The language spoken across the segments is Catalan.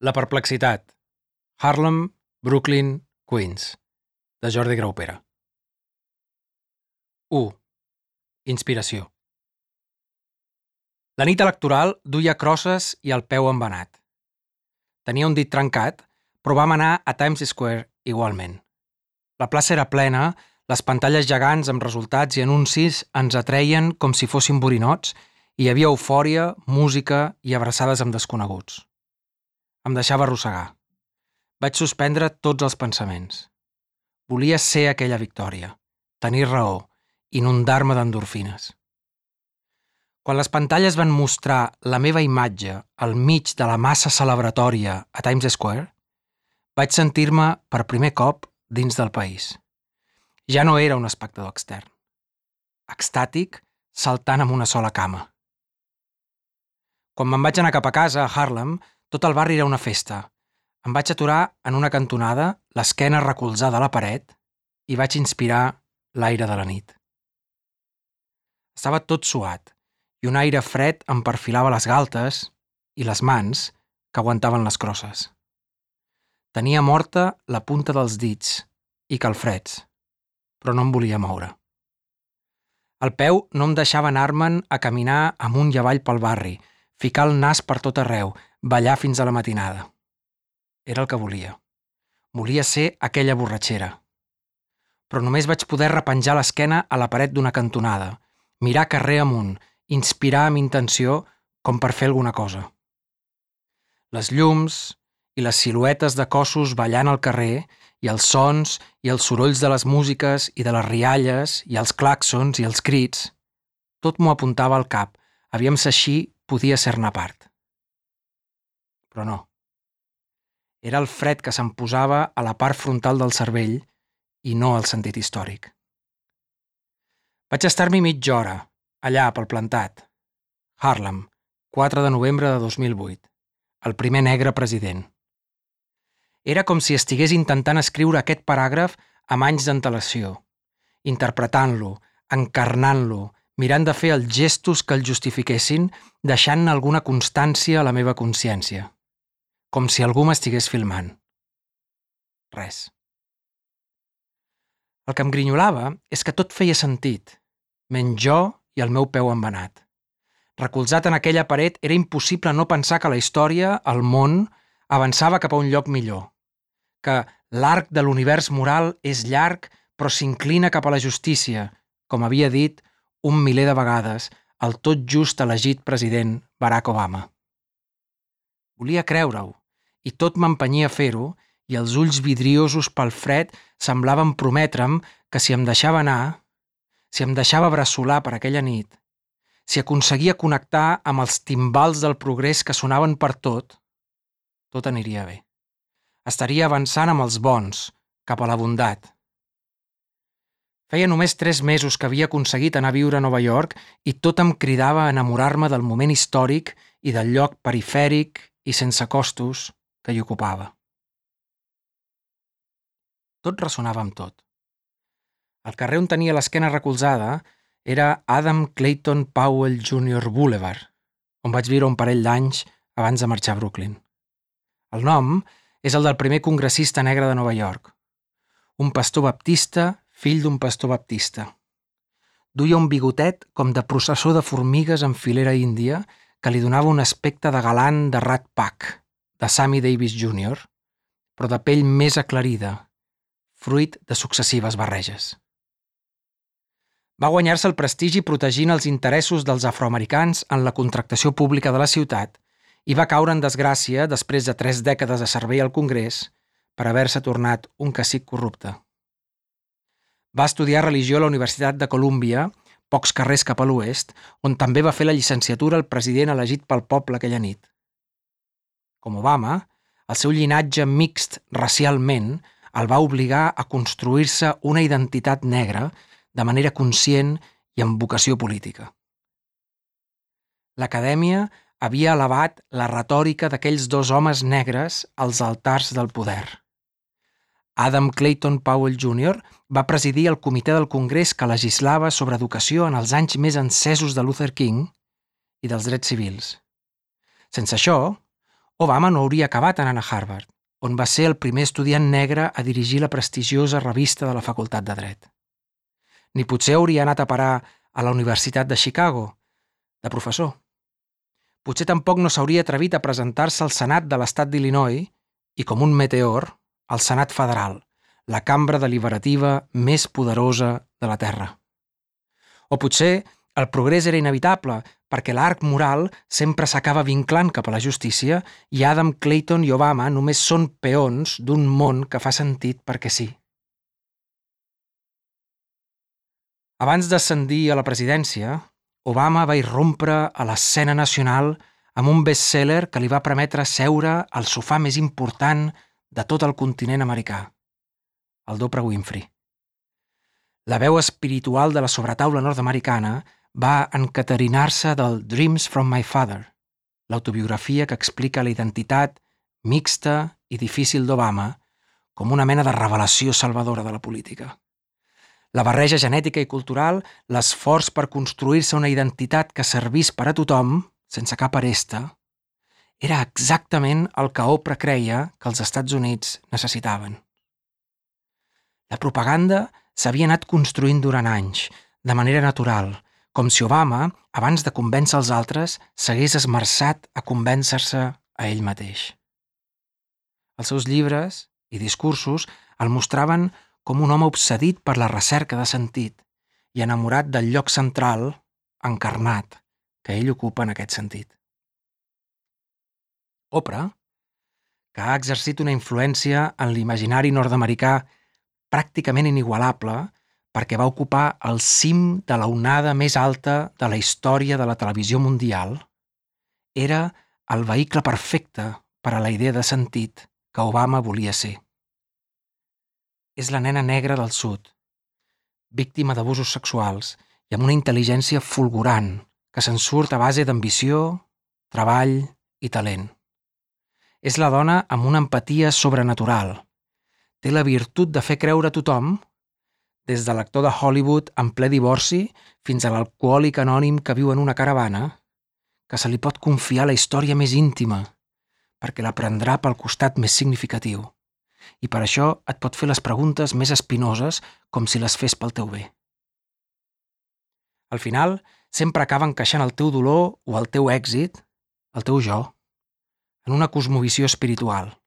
La perplexitat. Harlem, Brooklyn, Queens. De Jordi Graupera. 1. Inspiració. La nit electoral duia crosses i el peu embenat. Tenia un dit trencat, però vam anar a Times Square igualment. La plaça era plena, les pantalles gegants amb resultats i anuncis ens atreien com si fossin borinots i hi havia eufòria, música i abraçades amb desconeguts. Em deixava arrossegar. Vaig suspendre tots els pensaments. Volia ser aquella victòria, tenir raó, inundar-me d'endorfines. Quan les pantalles van mostrar la meva imatge al mig de la massa celebratòria a Times Square, vaig sentir-me per primer cop dins del país. Ja no era un espectador extern. Extàtic, saltant amb una sola cama. Quan me'n vaig anar cap a casa, a Harlem, tot el barri era una festa. Em vaig aturar en una cantonada, l'esquena recolzada a la paret, i vaig inspirar l'aire de la nit. Estava tot suat, i un aire fred em perfilava les galtes i les mans que aguantaven les crosses. Tenia morta la punta dels dits i calfreds, però no em volia moure. El peu no em deixava anar-me'n a caminar amunt i avall pel barri, ficar el nas per tot arreu, ballar fins a la matinada. Era el que volia. Volia ser aquella borratxera. Però només vaig poder repenjar l'esquena a la paret d'una cantonada, mirar carrer amunt, inspirar amb intenció com per fer alguna cosa. Les llums i les siluetes de cossos ballant al carrer i els sons i els sorolls de les músiques i de les rialles i els clàxons i els crits, tot m'ho apuntava al cap, aviam si així podia ser-ne part. Però no. Era el fred que se'm posava a la part frontal del cervell i no al sentit històric. Vaig estar-m'hi mitja hora, allà pel plantat. Harlem, 4 de novembre de 2008. El primer negre president. Era com si estigués intentant escriure aquest paràgraf amb anys d'antelació, interpretant-lo, encarnant-lo, mirant de fer els gestos que el justifiquessin, deixant-ne alguna constància a la meva consciència. Com si algú m'estigués filmant. Res. El que em grinyolava és que tot feia sentit, menys jo i el meu peu embenat. Recolzat en aquella paret, era impossible no pensar que la història, el món, avançava cap a un lloc millor. Que l'arc de l'univers moral és llarg però s'inclina cap a la justícia, com havia dit un miler de vegades el tot just elegit president Barack Obama. Volia creure-ho, i tot m'empenyia a fer-ho, i els ulls vidriosos pel fred semblaven prometre'm que si em deixava anar, si em deixava bressolar per aquella nit, si aconseguia connectar amb els timbals del progrés que sonaven per tot aniria bé. Estaria avançant amb els bons, cap a la bondat. Feia només 3 mesos que havia aconseguit anar a viure a Nova York i tot em cridava a enamorar-me del moment històric i del lloc perifèric i sense costos que hi ocupava. Tot ressonava amb tot. El carrer on tenia l'esquena recolzada era Adam Clayton Powell Jr. Boulevard, on vaig viure un parell d'anys abans de marxar a Brooklyn. El nom és el del primer congressista negre de Nova York. Un pastor baptista, fill d'un pastor baptista. Duia un bigotet com de processó de formigues en filera índia que li donava un aspecte de galant de Rat Pack, de Sammy Davis Jr., però de pell més aclarida, fruit de successives barreges. Va guanyar-se el prestigi protegint els interessos dels afroamericans en la contractació pública de la ciutat i va caure en desgràcia després de 3 dècades de servei al Congrés per haver-se tornat un cacic corrupte. Va estudiar religió a la Universitat de Columbia, pocs carrers cap a l'oest, on també va fer la llicenciatura el president elegit pel poble aquella nit. Com Obama, el seu llinatge mixt racialment el va obligar a construir-se una identitat negra de manera conscient i amb vocació política. L'acadèmia havia elevat la retòrica d'aquells 2 homes negres als altars del poder. Adam Clayton Powell Jr. va presidir el comitè del Congrés que legislava sobre educació en els anys més encesos de Luther King i dels drets civils. Sense això, Obama no hauria acabat anant a Harvard, on va ser el primer estudiant negre a dirigir la prestigiosa revista de la Facultat de Dret. Ni potser hauria anat a parar a la Universitat de Chicago, de professor. Potser tampoc no s'hauria atrevit a presentar-se al Senat de l'estat d'Illinois i, com un meteor, al Senat federal, la cambra deliberativa més poderosa de la Terra. O potser el progrés era inevitable perquè l'arc moral sempre s'acaba vinclant cap a la justícia i Adam Clayton i Obama només són peons d'un món que fa sentit perquè sí. Abans d'ascendir a la presidència, Obama va irrompre a l'escena nacional amb un best-seller que li va permetre seure al sofà més important de tot el continent americà, el d'Oprah Winfrey. La veu espiritual de la sobretaula nord-americana va encaterinar-se del Dreams from My Father, l'autobiografia que explica la identitat mixta i difícil d'Obama com una mena de revelació salvadora de la política. La barreja genètica i cultural, l'esforç per construir-se una identitat que servís per a tothom, sense cap aresta, era exactament el que Oprah creia que els Estats Units necessitaven. La propaganda s'havia anat construint durant anys, de manera natural, com si Obama, abans de convèncer els altres, s'hagués esmerçat a convèncer-se a ell mateix. Els seus llibres i discursos el mostraven com un home obsedit per la recerca de sentit i enamorat del lloc central, encarnat, que ell ocupa en aquest sentit. Oprah, que ha exercit una influència en l'imaginari nord-americà pràcticament inigualable perquè va ocupar el cim de la onada més alta de la història de la televisió mundial, era el vehicle perfecte per a la idea de sentit que Obama volia ser. És la nena negra del sud, víctima d'abusos sexuals i amb una intel·ligència fulgurant que se'n surt a base d'ambició, treball i talent. És la dona amb una empatia sobrenatural. Té la virtut de fer creure a tothom, des de l'actor de Hollywood en ple divorci fins a l'alcohòlic anònim que viu en una caravana, que se li pot confiar la història més íntima, perquè la prendrà pel costat més significatiu. I per això et pot fer les preguntes més espinoses com si les fes pel teu bé. Al final, sempre acaba encaixant el teu dolor o el teu èxit, el teu jo, en una cosmovisió espiritual.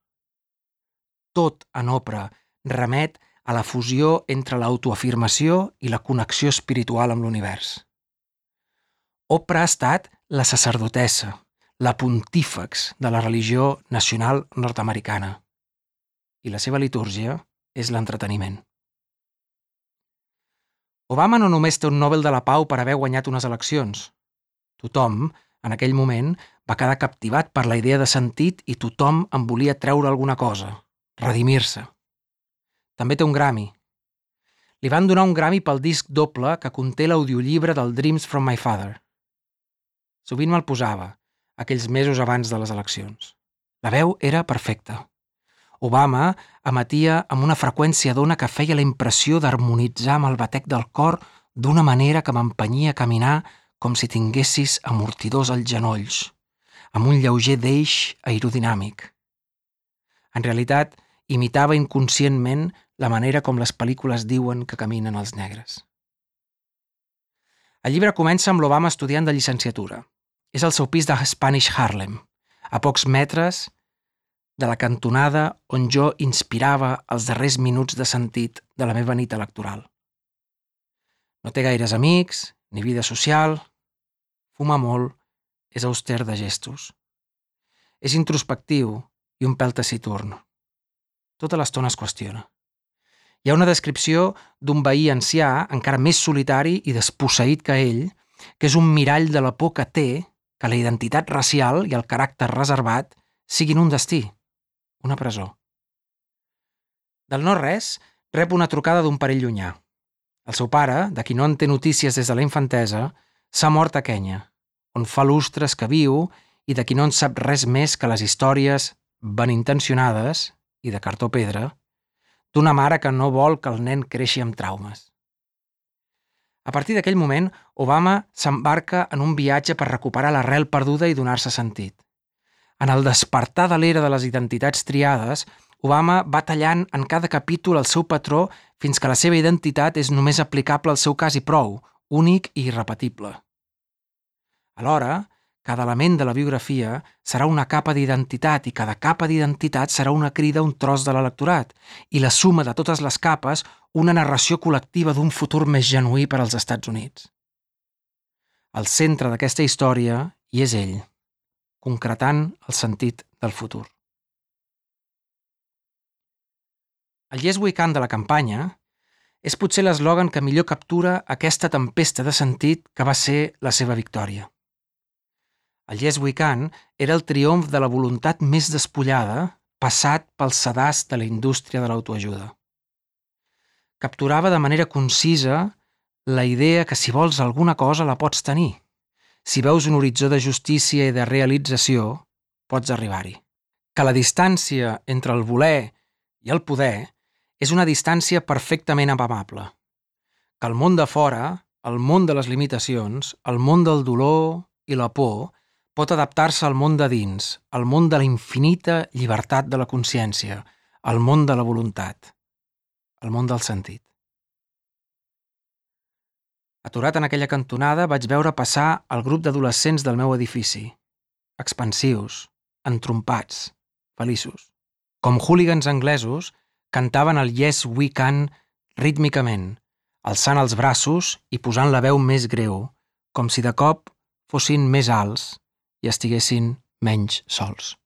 Tot en Oprah remet a la fusió entre l'autoafirmació i la connexió espiritual amb l'univers. Oprah ha estat la sacerdotessa, la pontífex de la religió nacional nord-americana. I la seva litúrgia és l'entreteniment. Obama no només té un Nobel de la Pau per haver guanyat unes eleccions. Tothom, en aquell moment, va quedar captivat per la idea de sentit i tothom en volia treure alguna cosa, redimir-se. També té un Grammy. Li van donar un Grammy pel disc doble que conté l'audiollibre del Dreams from My Father. Sovint me'l posava, aquells mesos abans de les eleccions. La veu era perfecta. Obama emetia amb una freqüència d'ona que feia la impressió d'harmonitzar amb el batec del cor d'una manera que m'empenyia a caminar com si tinguessis amortidors als genolls, amb un lleuger deix aerodinàmic. En realitat, imitava inconscientment la manera com les pel·lícules diuen que caminen els negres. El llibre comença amb l'Obama estudiant de llicenciatura. És al seu pis de Spanish Harlem, a pocs metres de la cantonada on jo inspirava els darrers minuts de sentit de la meva nit electoral. No té gaires amics, ni vida social, fuma molt, és auster de gestos. És introspectiu i un pèl taciturn. Tota l'estona es qüestiona. Hi ha una descripció d'un veí ancià, encara més solitari i desposseït que ell, que és un mirall de la por que té que la identitat racial i el caràcter reservat siguin un destí, una presó. Del no-res, rep una trucada d'un parell llunyà. El seu pare, de qui no en té notícies des de la infantesa, s'ha mort a Kenya, on fa lustres que viu i de qui no en sap res més que les històries ben intencionades i de cartó pedra d'una mare que no vol que el nen creixi amb traumes. A partir d'aquell moment, Obama s'embarca en un viatge per recuperar l'arrel perduda i donar-se sentit. En el despertar de l'era de les identitats triades, Obama va tallant en cada capítol el seu patró fins que la seva identitat és només aplicable al seu cas i prou, únic i irrepetible. Alhora, cada element de la biografia serà una capa d'identitat i cada capa d'identitat serà una crida a un tros de l'electorat i la suma de totes les capes una narració col·lectiva d'un futur més genuí per als Estats Units. Al centre d'aquesta història hi és ell, concretant el sentit del futur. El Yes We Can de la campanya és potser l'eslògan que millor captura aquesta tempesta de sentit que va ser la seva victòria. El Yes We Can era el triomf de la voluntat més despullada passat pel sedàs de la indústria de l'autoajuda. Capturava de manera concisa la idea que si vols alguna cosa la pots tenir. Si veus un horitzó de justícia i de realització, pots arribar-hi. Que la distància entre el voler i el poder és una distància perfectament amable. Que el món de fora, el món de les limitacions, el món del dolor i la por, pot adaptar-se al món de dins, al món de la infinita llibertat de la consciència, al món de la voluntat, al món del sentit. Aturat en aquella cantonada, vaig veure passar el grup d'adolescents del meu edifici, expansius, entrompats, feliços. Com hooligans anglesos, cantaven el Yes We Can rítmicament, alçant els braços i posant la veu més greu, com si de cop fossin més alts i estiguessin menys sols.